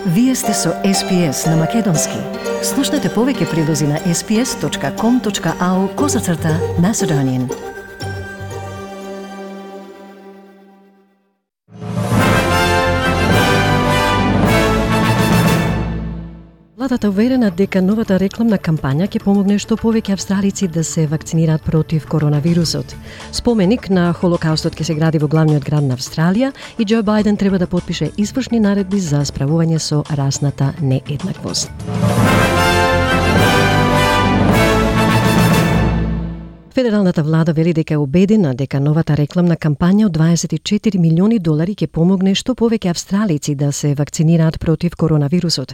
Вие сте со SPS на Македонски. Слушнете повеќе прилози на sps.com.au/Macedonian. Владата уверена дека новата рекламна кампања ќе помогне што повеќе австралици да се вакцинираат против коронавирусот. Споменик на Холокаустот ќе се гради во главниот град на Австралија и Џо Бајден треба да потпише извршни наредби за справување со расната нееднаквост. Федералната влада вели дека е убедена дека новата рекламна кампања од $24 милиони ќе помогне што повеќе австралици да се вакцинираат против коронавирусот.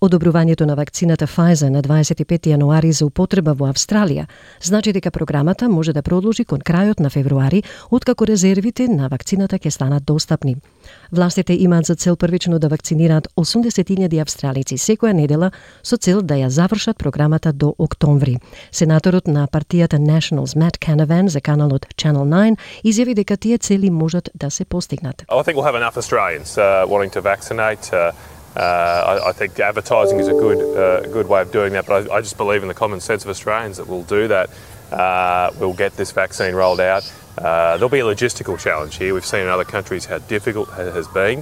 Одобрувањето на вакцината Pfizer на 25 јануари за употреба во Австралија значи дека програмата може да продолжи кон крајот на февруари, откако резервите на вакцината ќе станат достапни. Властите имаат за цел првично да вакцинираат 80.000 австралици секоја недела со цел да ја завршат програмата до октомври. Сенаторот на партијата Nationals Matt Canavan за каналот Channel 9 изјави дека тие цели можат да се постигнат. I think we'll have enough Australians wanting to vaccinate. I think advertising is a good way of doing that, but I just believe in the common sense of Australians that we'll do that. We'll get this vaccine rolled out. There'll be a logistical challenge here. We've seen in other countries how difficult it has been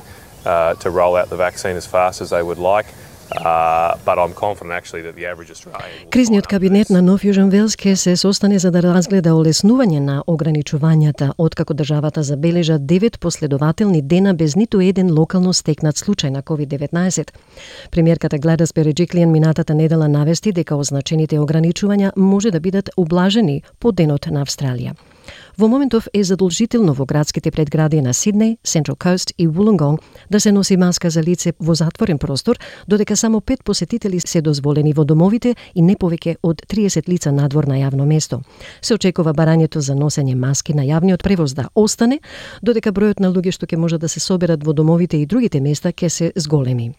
to roll out the vaccine as fast as they would like. But I'm confident actually that the average Australian. Кризниот кабинет на Нов Јужен Велс ќе се состане за да разгледа олеснување на ограничувањата, откако државата забележа 9 последователни дена без ниту еден локално стекнат случај на COVID-19. Премиерката Гледис Береџиклијан минатата недела навести дека означените ограничувања може да бидат ублажени по денот на Австралија. Во моментов е задолжително во градските предгради на Сиднеј, Central Coast и Wollongong да се носи маска за лице во затворен простор, додека само 5 посетители се дозволени во домовите и не повеќе од 30 лица надвор на јавно место. Се очекува барањето за носење маски на јавниот превоз да остане, додека бројот на луѓе што ќе може да се соберат во домовите и другите места ќе се зголеми.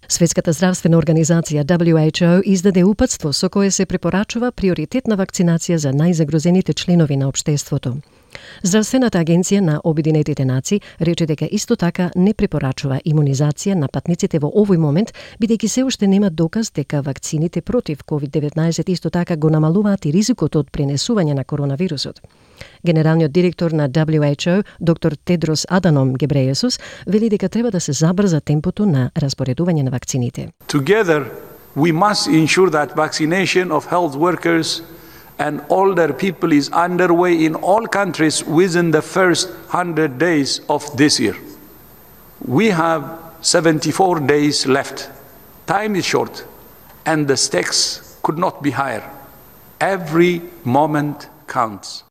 Светската здравствена организација WHO издаде упатство со кое се препорачува приоритетна вакцинација за најзагрозените членови на општеството. Здравствената агенција на Обединетите нации рече дека исто така не препорачува имунизација на патниците во овој момент, бидејќи се уште нема доказ дека вакцините против COVID-19 исто така го намалуваат и ризикот од пренесување на коронавирусот. Генералниот директор на WHO, доктор Тедрос Аданом Гебрејесус, вели дека треба да се забрза темпото на распоредување на вакцините. Together, we must ensure that vaccination of health workers and older people is underway in all countries within the first 100 days of this year. We have 74 days left. Time is short, and the stakes could not be higher. Every moment counts.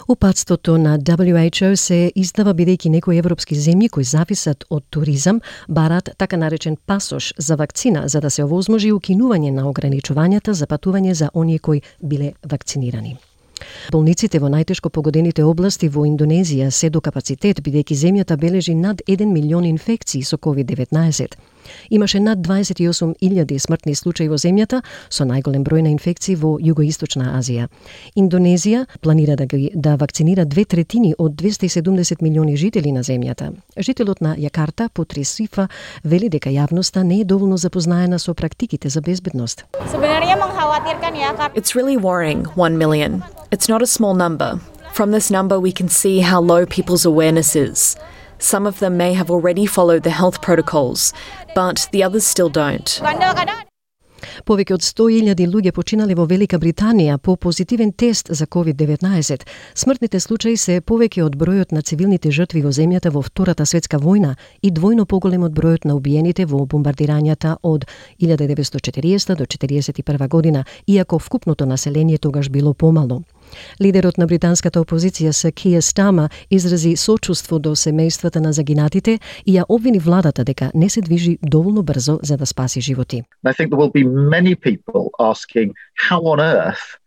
Упатството на WHO се издава бидејќи некои европски земји кои зависат од туризам барат така наречен пасош за вакцина за да се овозможи укинување на ограничувањата за патување за оние кои биле вакцинирани. Болниците во најтешко погодените области во Индонезија се до капацитет бидејќи земјата бележи над 1 милион инфекции со COVID-19. Имаше над 28.000 смртни случаи во земјата, со најголем број на инфекции во Југоисточна Азија. Индонезија планира да вакцинира 2/3 од 270 милиони жители на земјата. Жителот на Јакарта, Путри Сифа, вели дека јавноста не е доволно запознаена со практиките за безбедност. It's really worrying, 1 million. It's not a small number. From this number we can see how low people's awareness is. Some of them may have already followed the health protocols, but the others still don't. Повеќе од 100.000 луѓе починале во Велика Британија по позитивен тест за COVID-19. Смртните случаи се повеќе од бројот на цивилните жртви во земјата во Втората светска војна и двојно поголем од бројот на убиените во бомбардирањата од 1940 до 1941 година, иако вкупното население тогаш било помало. Лидерот на британската опозиција Сир Киер Стармер изрази сочувство до семејствата на загинатите и ја обвини владата дека не се движи доволно брзо за да спаси животи. I think there will be many people asking how on earth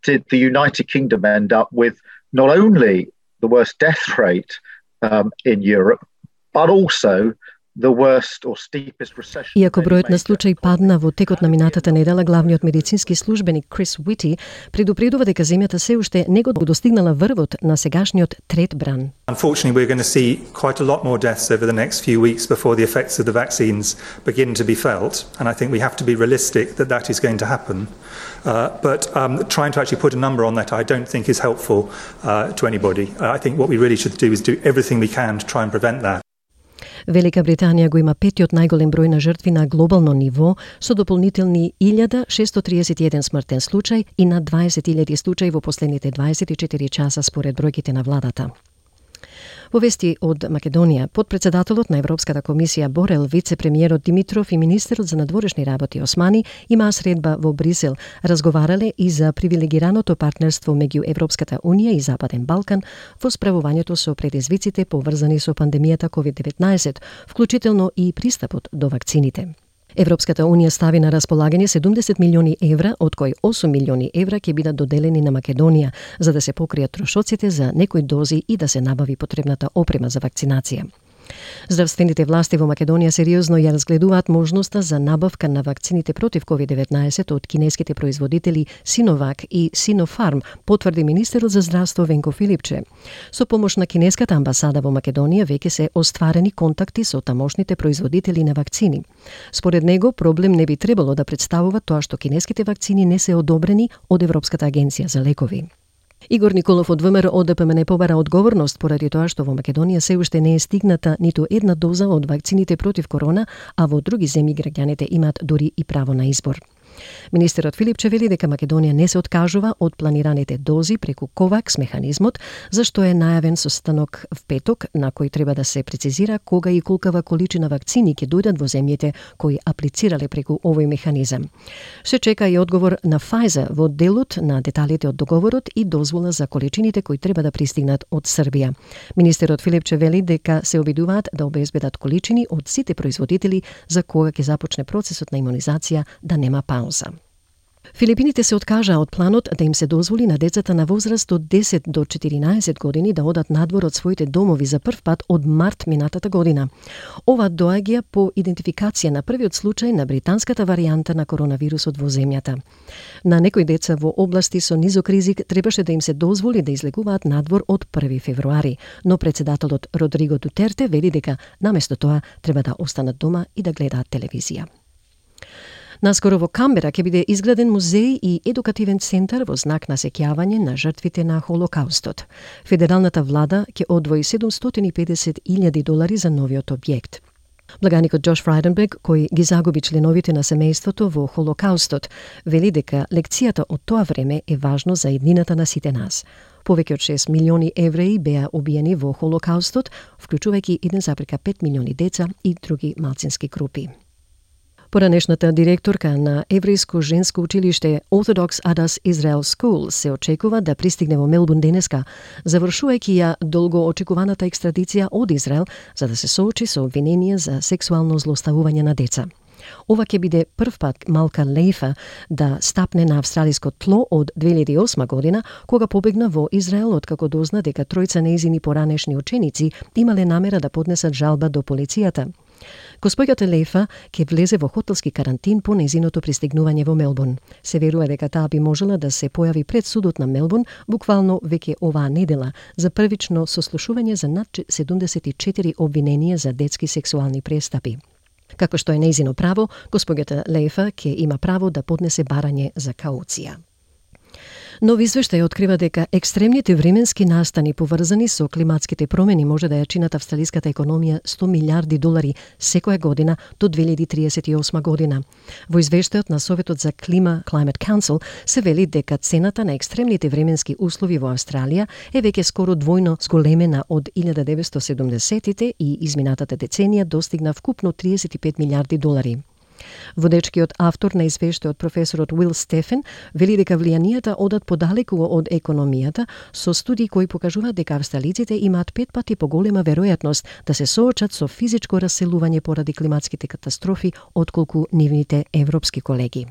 did the United Kingdom end up with not only the worst death rate in Europe, but also the worst or steepest recession. Иако бројот на случаи падна во текот на минатата недела, главниот медицински службеник Крис Уити предупредува дека земјата се уште не го достигнала врвот на сегашниот трет бран. Unfortunately, we're going to see quite a lot more deaths over the next few weeks before the effects of the vaccines begin to be felt, and I think we have to be realistic that that is going to happen. But trying to actually put a number on that, I don't think is helpful to anybody. I think what we really should do is do everything we can to try and prevent that. Велика Британија го има петиот најголем број на жртви на глобално ниво, со дополнителни 1631 смртен случај и над 20.000 случаи во последните 24 часа според бројките на владата. Во вести од Македонија, подпредседателот на Европската комисија Борел, вице-премиерот Димитров и министерот за надворешни работи Османи имаа средба во Брисел. Разговарале и за привилегираното партнерство меѓу Европската унија и Западен Балкан во справувањето со предизвиците поврзани со пандемијата COVID-19, вклучително и пристапот до вакцините. Европската унија стави на располагање 70 милиони евра, од кои 8 милиони евра ќе бидат доделени на Македонија, за да се покријат трошоците за некои дози и да се набави потребната опрема за вакцинација. Здравствените власти во Македонија сериозно ја разгледуваат можноста за набавка на вакцините против COVID-19 од кинеските производители Синовак и Синофарм, потврди министерот за здравство Венко Филипче. Со помош на кинеската амбасада во Македонија веќе се остварени контакти со тамошните производители на вакцини. Според него, проблем не би требало да представува тоа што кинеските вакцини не се одобрени од Европската агенција за лекови. Игор Николов од ВМРО ОДПМН побара одговорност поради тоа што во Македонија се уште не е стигната ниту една доза од вакцините против корона, а во други земји граѓаните имаат дури и право на избор. Министерот Филипче вели дека Македонија не се откажува од планираните дози преку ковакс механизмот, зашто е најавен состанок в петок на кој треба да се прецизира кога и колкава количина вакцини ќе дојдат во земјите кои аплицирале преку овој механизам. Се чека и одговор на Pfizer во делот на деталите од договорот и дозвола за количините кои треба да пристигнат од Србија. Министерот Филипче вели дека се обидуваат да обезбедат количини од сите производители за кога ќе започне процесот на имунизација да нема пауза. Филипините се откажаа од планот да им се дозволи на децата на возраст од 10 до 14 години да одат надвор од своите домови за прв пат од март минатата година. Ова доаѓа по идентификација на првиот случај на британската варијанта на коронавирусот во земјата. На некои деца во области со низок ризик требаше да им се дозволи да излегуваат надвор од 1 февруари, но председателот Родриго Дутерте вели дека наместо тоа треба да останат дома и да гледаат телевизија. Наскоро во Камбера ќе биде изграден музеј и едукативен центар во знак на сеќавање на жртвите на Холокаустот. Федералната влада ќе одвои $750,000 за новиот објект. Благаникот Джош Фрайденберг, кој ги загуби членовите на семејството во Холокаустот, вели дека лекцијата од тоа време е важно за иднината на сите нас. Повеќе од 6 милиони евреи беа убиени во Холокаустот, вклучувајќи 1,5 милиони деца и други малцински групи. Поранешната директорка на еврејско женско училиште Orthodox Adas Israel School се очекува да пристигне во Мелбурн денеска, завршувајќи ја долго очекуваната екстрадиција од Израел за да се соочи со обвиненија за сексуално злоставување на деца. Ова ќе биде прв пат Малка Лейфа да стапне на австралиско тло од 2008 година, кога побегна во Израел откако дозна дека тројца нејзини поранешни ученици имале намера да поднесат жалба до полицијата. Госпоѓата Лейфа ќе влезе во хотелски карантин по нејзиното пристигнување во Мелбурн. Се верува дека таа би можела да се појави пред судот на Мелбурн буквално веќе оваа недела за првично сослушување за над 74 обвиненија за детски сексуални престапи. Како што е нејзино право, госпоѓата Лейфа ќе има право да поднесе барање за кауција. Нов извештај открива дека екстремните временски настани поврзани со климатските промени може да ја чинат австралиската економија $100 милиарди секоја година до 2038 година. Во извештајот на Советот за клима Climate Council се вели дека цената на екстремните временски услови во Австралија е веќе скоро двојно зголемена од 1970-тите и изминатата деценија достигна вкупно $35 милиарди. Водечкиот автор на извештајот професорот Уил Стефен вели дека влијанијата одат подалеку од економијата со студии кои покажуваат дека австралиците имаат 5 пати поголема веројатност да се соочат со физичко раселување поради климатските катастрофи отколку нивните европски колеги.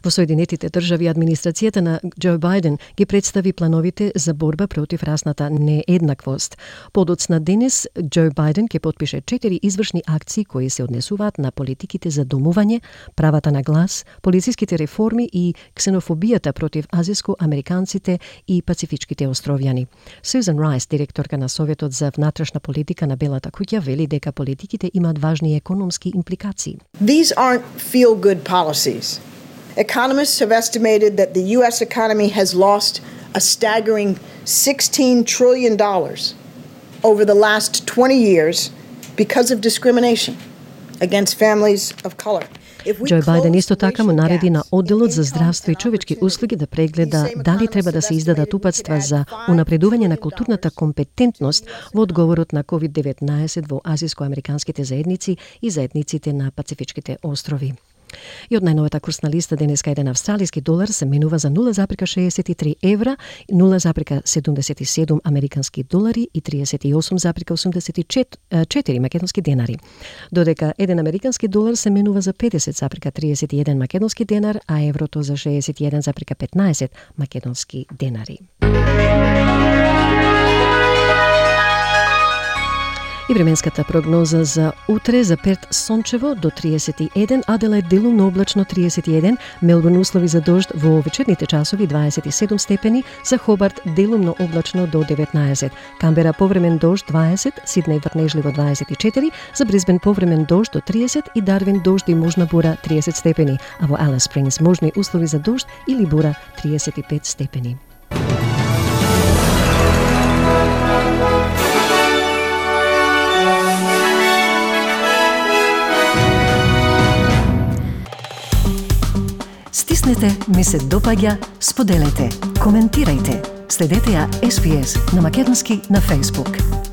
Во Соединетите држави администрацијата на Џо Бајден ги представи плановите за борба против расната нееднаквост. Подоцна денес Џо Бајден ќе потпише 4 извршни акции кои се однесуваат на политиките за домување, правата на глас, полициските реформи и ксенофобијата против азијско-американците и пацифичките островјани. Сюзан Райс, директорка на Советот за внатрешна политика на Белата куќа, вели дека политиките имаат важни економски импликации. These aren't feel-good policies. Economists have estimated that the U.S. economy has lost a staggering $16 trillion over the last 20 years because of discrimination against families of color. Џо Бајден исто така му нареди на одделот за здравство и човечки услуги да прегледа дали треба да се издадат упатства за унапредување на културната компетентност во одговорот на COVID-19 во азијско-американските заедници и заедниците на пацифичките острови. И од најновата курсна листа денеска еден австралиски долар се менува за 0,63 евра, 0,77 американски долари и 38,84 македонски денари. Додека еден американски долар се менува за 50,31 македонски денар, а еврото за 61,15 македонски денари. И временската прогноза за утре: за Перт сончево до 31, Аделаид делумно облачно 31, Мелбурн услови за дожд во вечерните часови 27 степени, за Хобарт делумно облачно до 19, Камбера повремен дожд 20, Сиднеј врнежливо 24, за Брисбен повремен дожд до 30 и Дарвин дожд и можна бура 30 степени, а во Алис Спрингс можни услови за дожд или бура 35 степени. Стиснете, ми се допаѓа, споделете, коментирајте. Следете ја SPS на македонски на Facebook.